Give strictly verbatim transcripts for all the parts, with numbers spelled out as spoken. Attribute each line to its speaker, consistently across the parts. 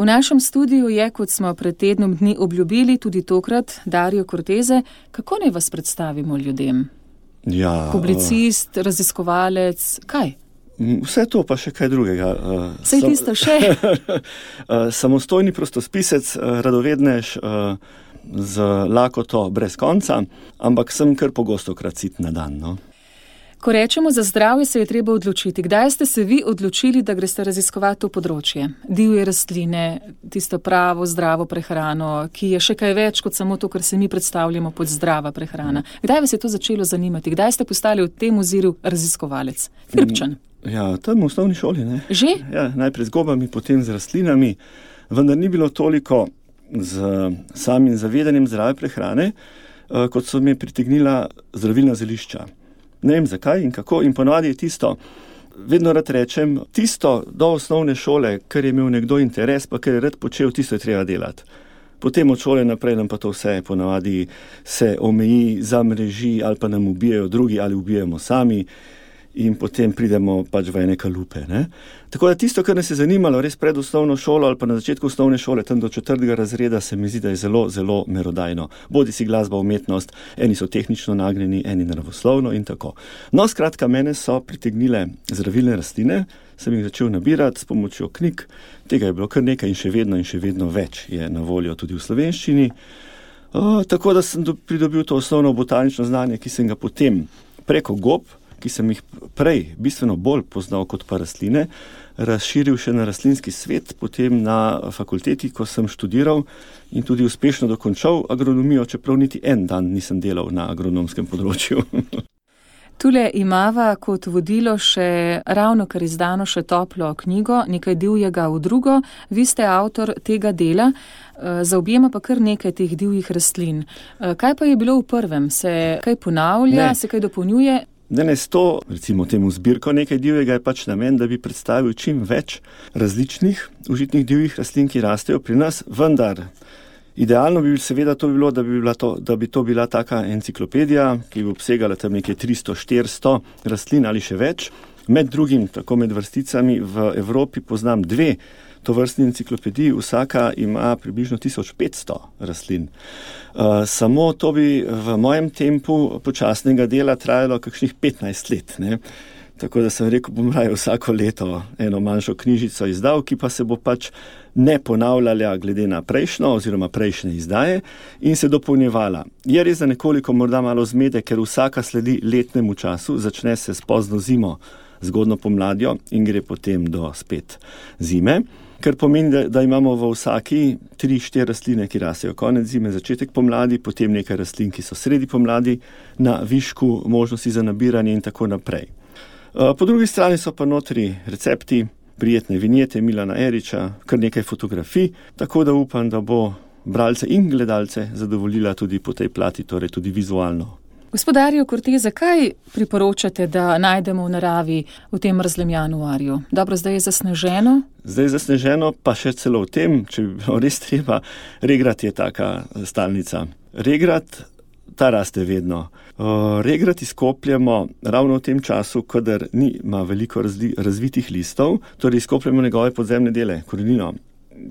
Speaker 1: V našem studiu je, kot smo pred tednom dni obljubili, tudi tokrat Dario Cortese. Kako naj vas predstavimo ljudem?
Speaker 2: Ja,
Speaker 1: Publicist, uh, raziskovalec, kaj?
Speaker 2: Vse to pa še kaj drugega.
Speaker 1: Vse tisto še?
Speaker 2: Samostojni prostospisec, radovednež, z lakoto brez konca, ampak sem kar pogostokrat sit na dan, no.
Speaker 1: Ko rečemo za zdravje, se je treba odločiti. Kdaj ste se vi odločili, da greste raziskovati to področje? Divje rastline, tisto pravo zdravo prehrano, ki je še kaj več kot samo to, kar se mi predstavljamo pod zdrava prehrana. Kdaj vas je to začelo zanimati? Kdaj ste postali v tem oziru raziskovalec? Hribčan?
Speaker 2: Ja, tam v osnovni šoli, ne.
Speaker 1: Že?
Speaker 2: Ja, najprej z gobami, potem z rastlinami, vendar ni bilo toliko z samim zavedanjem zdrave prehrane, kot so me pritegnila zdravilna zelišča. Ne vem zakaj in kako, in ponovadi je tisto, vedno rad rečem, tisto do osnovne šole, kar je imel nekdo interes, pa kar je rad počel, tisto je treba delati. Potem od šole naprej nam pa to vse ponovadi se omeji, zamreži ali pa nam ubijajo drugi ali ubijamo sami in potem pridemo pač v ene kalupe, ne. Tako da tisto, kar nas je zanimalo res pred osnovno šolo ali pa na začetku osnovne šole, tam do četrtega razreda, se mi zdi, da je zelo, zelo merodajno. Bodi si glasba, umetnost, eni so tehnično nagnjeni, eni naravoslovno in tako. No, skratka, mene so pritegnile zdravilne rastline, sem jih začel nabirati s pomočjo knjig, tega je bilo kar nekaj in še vedno in še vedno več je na voljo tudi v slovenščini. O, tako da sem pridobil to osnovno botanično znanje, ki sem ga potem preko gob, ki sem jih prej bistveno bolj poznal kot pa rastline, razširil še na rastlinski svet, potem na fakulteti, ko sem študiral in tudi uspešno dokončal agronomijo, čeprav niti en dan nisem delal na agronomskem področju.
Speaker 1: Tule imava kot vodilo še ravno kar izdano še toplo knjigo, nekaj divjega v drugo. Vi ste avtor tega dela, zaobjema pa kar nekaj teh divjih rastlin. Kaj pa je bilo v prvem? Se kaj ponavlja, ne. Se kaj dopolnjuje?
Speaker 2: Ne, ne, s to, recimo temu zbirko nekaj divjega je pač namen, da bi predstavil čim več različnih užitnih divjih rastlin, ki rastejo pri nas, vendar idealno bi seveda to bilo, da bi, bila to, da bi to bila taka enciklopedija, ki bi obsegala tam nekaj tristo štiristo rastlin ali še več. Med drugim, tako med vrsticami, v Evropi poznam dve tovrstni enciklopediji, vsaka ima približno tisoč petsto rastlin. Uh, samo to bi v mojem tempu počasnega dela trajalo kakšnih petnajst let, ne. Tako da sem rekel, bom raje vsako leto eno manjšo knjižico izdal, ki pa se bo pač ne ponavljala glede na prejšnjo oziroma prejšnje izdaje in se dopolnjevala. Je res za nekoliko morda malo zmede, ker vsaka sledi letnemu času, začne se s pozno zimo, zgodno pomladjo in gre potem do spet zime. Kar pomeni, da, da imamo v vsaki tri, štiri rastline, ki rastejo konec zime, začetek pomladi, potem nekaj rastlin, ki so sredi pomladi, na višku možnosti za nabiranje in tako naprej. Po drugi strani so pa notri recepti, prijetne vinjete Milana Eriča, kar nekaj fotografij, tako da upam, da bo bralce in gledalce zadovoljila tudi po tej plati, torej tudi vizualno.
Speaker 1: Gospod Dario Cortese, kaj priporočate, da najdemo v naravi v tem mrzlem januarju? Dobro, zdaj je zasneženo?
Speaker 2: Zdaj je zasneženo, pa še celo v tem, če bi bilo res treba, regrat je taka stalnica. Regrat, ta raste vedno. Regrat izkopljemo ravno v tem času, kadar nima veliko razli, razvitih listov, torej izkopljemo njegove podzemne dele, korenino,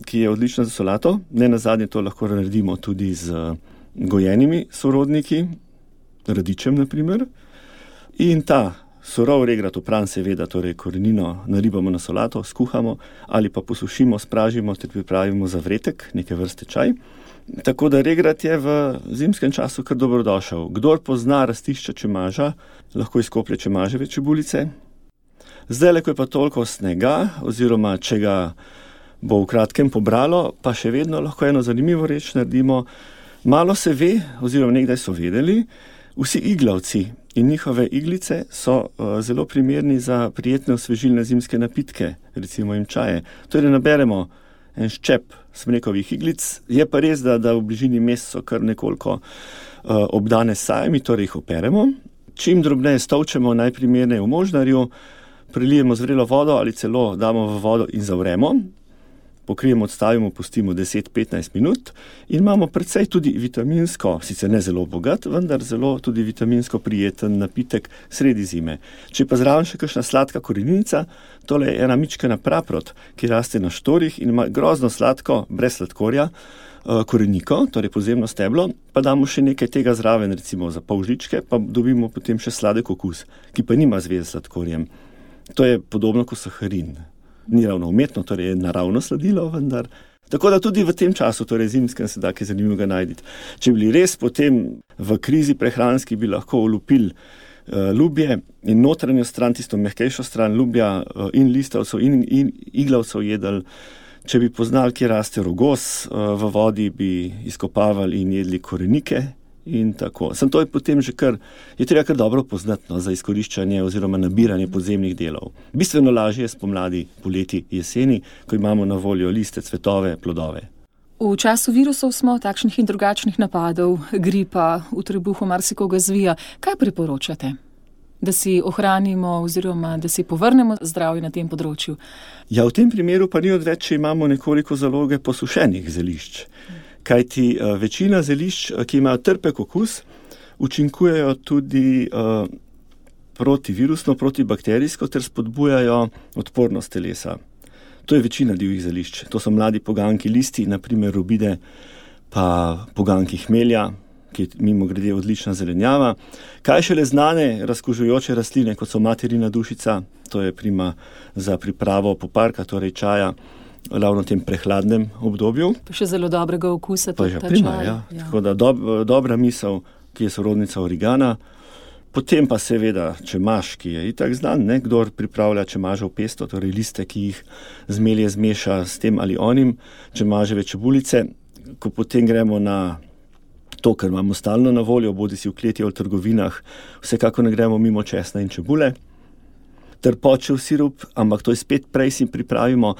Speaker 2: ki je odlična za solato. Ne nazadnje to lahko naredimo tudi z gojenimi sorodniki, radičem na primer. In ta surov regrat opran seveda, torej korenino naribamo na solato, skuhamo ali pa posušimo, spražimo ter pripravimo za vretek, neke vrste čaj. Tako da regrat je v zimskem času kar dobrodošel. Kdor pozna rastišča čemaža, lahko izkoplje čemaževe čebulice. Zdaj, ko je pa toliko snega, oziroma če ga bo v kratkem pobralo, pa še vedno lahko eno zanimivo reč naredimo. Malo se ve, oziroma nekdaj so vedeli, vsi iglavci in njihove iglice so uh, zelo primerni za prijetne osvežilne zimske napitke, recimo jim čaje. Torej naberemo en ščep smrekovih iglic, je pa res, da, da v bližini mest so kar nekoliko uh, obdane s sajami, torej jih operemo. Čim drobneje stolčemo, najprimerneje v možnarju, prelijemo z vrelo vodo ali celo damo v vodo in zavremo. pokrijemo, odstavimo, pustimo deset do petnajst minut in imamo precej tudi vitaminsko, sicer ne zelo bogat, vendar zelo tudi vitaminsko prijeten napitek sredi zime. Če pa zraven še kakšna sladka korenica, tole je ena mičkena praprot, ki raste na štorih in ima grozno sladko, brez sladkorja, koreniko, torej podzemno steblo, pa damo še nekaj tega zraven, recimo za pol žličke, pa dobimo potem še sladek okus, ki pa nima zveze s sladkorjem. To je podobno kot saharin. Ni ravno umetno, torej je naravno sladilo, vendar. Tako da tudi v tem času, torej zimskem, se da kaj zanimivega najti. Če bili res potem v krizi prehranski, bi lahko olupili uh, lubje in notranjo stran, tisto mehkejšo stran lubja uh, in listavcev in, in iglavcev jedli. Če bi poznali, kje raste rogos, v vodi bi izkopavali in jedli korenike in tako. Sem to je potem že kar, je treba kar dobro poznati, no, za izkoriščanje oziroma nabiranje podzemnih delov. Bistveno lažje je spomladi, poleti, jeseni, ko imamo na voljo liste, cvetove, plodove.
Speaker 1: V času virusov smo takšnih in drugačnih napadov, gripa, v trebuhu marsikoga zvija. Kaj priporočate? Da si ohranimo oziroma da si povrnemo zdravje na tem področju?
Speaker 2: Ja, v tem primeru pa ni odveč, če imamo nekoliko zaloge posušenih zelišč. Kajti uh, večina zelišč, ki imajo trpek okus, učinkujejo tudi uh, protivirusno, protibakterijsko ter spodbujajo odpornost telesa. To je večina divjih zelišč. To so mladi poganki listi, naprimer robide, pa poganki hmelja, ki je mimo grede odlična zelenjava. Kaj šele znane razkužujoče rastline, kot so materina dušica, to je prima za pripravo poparka, torej čaja, ravno v tem prehladnem obdobju.
Speaker 1: Pa še zelo dobrega okusa.
Speaker 2: Pa že prima, ja. ja. Tako da dob, dobra misel, ki je sorodnica origana. Potem pa seveda čemaž, ki je itak znan, ne? Kdor pripravlja čemažev pesto, torej liste, ki jih zmelje zmeša s tem ali onim, čemaževe čebulice. Ko potem gremo na to, kar imamo stalno na voljo, bodi si v kleti ali v trgovinah, vsekako ne gremo mimo česna in čebule. Trpočev sirup, ampak to je spet prej si pripravimo.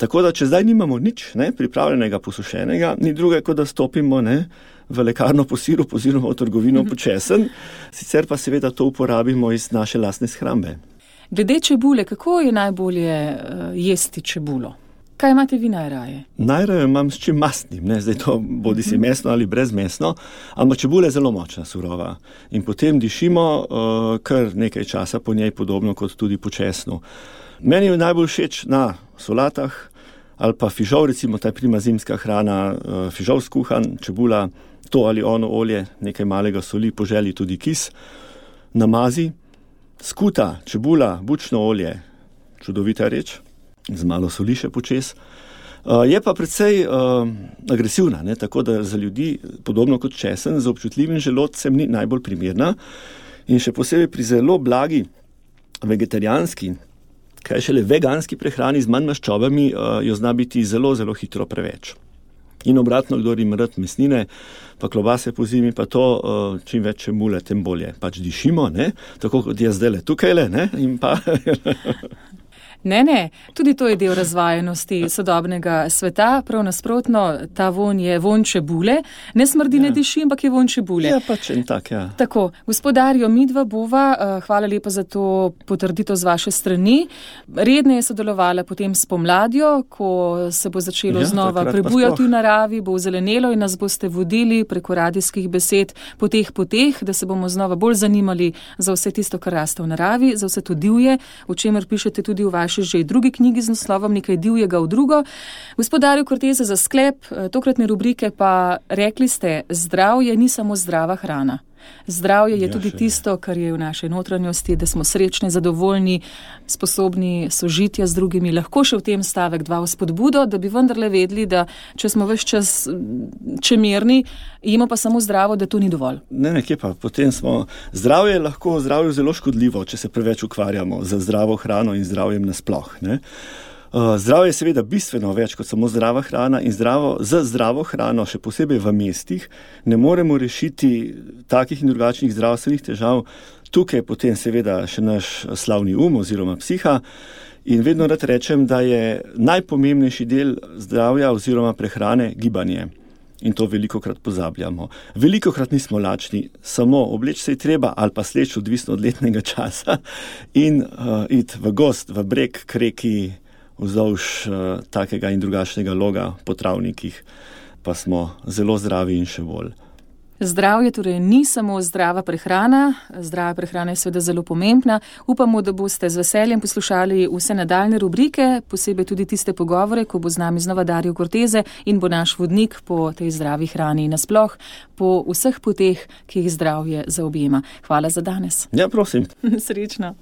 Speaker 2: Tako da, če zdaj nimamo nič, ne, pripravljenega, posušenega, ni druge, kot da stopimo, ne, v lekarno po sirup oziroma v trgovino po česen, sicer pa seveda to uporabimo iz naše lastne shrambe.
Speaker 1: Glede čebule, kako je najbolje uh, jesti čebulo? Kaj imate vi najraje?
Speaker 2: Najraje imam s čim mastnim, ne, zdaj to bodi si mesno ali brezmesno, ampak čebula je zelo močna, surova. In potem dišimo uh, kar nekaj časa po njej, podobno kot tudi po česnu. Meni je najbolj všeč na solatah ali pa fižol, recimo ta prima zimska hrana, uh, fižol skuhan, čebula, to ali ono olje, nekaj malega soli, po želji tudi kis, namazi, skuta, čebula, bučno olje, čudovita reč. Z malo soli še počes. Uh, je pa precej uh, agresivna, ne? Tako da za ljudi, podobno kot česen, z občutljivim želodcem ni najbolj primerna in še posebej pri zelo blagi vegetarijanski, kaj šele veganski prehrani z manj maščobami, uh, jo zna biti zelo, zelo hitro preveč. In obratno, kdor ima rad mesnine, pa klobase po zimi, pa to, uh, čim več čebule, tem bolje. Pač dišimo, ne? Tako kot jaz zdajle tukajle, ne? In pa...
Speaker 1: Ne, ne, tudi to je del razvajenosti sodobnega sveta, prav nasprotno, ta vonj je vonj čebule, ne smrdi, ja. Ne diši, ampak je vonj čebule.
Speaker 2: Ja, pač in tak, ja.
Speaker 1: Tako, gospodarjo, midva bova, hvala lepa za to potrditev z vaše strani. Redne je sodelovala potem s pomladjo, ko se bo začelo ja, znova prebujati v naravi, bo zelenelo in nas boste vodili preko radijskih besed po teh poteh, da se bomo znova bolj zanimali za vse tisto, kar raste v naravi, za vse to divje, o čemer pišete tudi v vaši že drugi knjigi z naslovom Nekaj divjega v drugo. Gospodarju Korteze, za sklep tokratne rubrike pa rekli ste, zdravje ni samo zdrava hrana. Zdravje je ja, tudi tisto, kar je v naši notranjosti, da smo srečni, zadovoljni, sposobni sožitja z drugimi. Lahko še v tem stavek dva vzpodbudo, da bi vendarle vedeli, da če smo ves čas čemerni, jemo pa samo zdravo, da to ni dovolj.
Speaker 2: Ne, nekje pa. Potem smo, zdravje je lahko zdravju zelo škodljivo, če se preveč ukvarjamo z zdravo hrano in zdravjem nasploh, ne. Uh, zdravje je seveda bistveno več kot samo zdrava hrana in zdravo, z zdravo hrano, še posebej v mestih, ne moremo rešiti takih in drugačnih zdravstvenih težav. Tukaj je potem seveda še naš slavni um oziroma psiha in vedno rad rečem, da je najpomembnejši del zdravja oziroma prehrane gibanje. In to velikokrat pozabljamo. Velikokrat nismo lačni, samo obleč se je treba ali pa sleč, odvisno od letnega časa in uh, iti v gost, v breg, k reki, vzdolž uh, takega in drugačnega loga po travnikih, pa smo zelo zdravi in še bolj.
Speaker 1: Zdravje torej ni samo zdrava prehrana, zdrava prehrana je seveda zelo pomembna. Upamo, da boste z veseljem poslušali vse nadaljne rubrike, posebej tudi tiste pogovore, ko bo z nami znova Dario Cortese in bo naš vodnik po tej zdravi hrani nasploh, po vseh poteh, ki jih zdravje zaobjema. Hvala za danes.
Speaker 2: Ja, prosim.
Speaker 1: Srečno.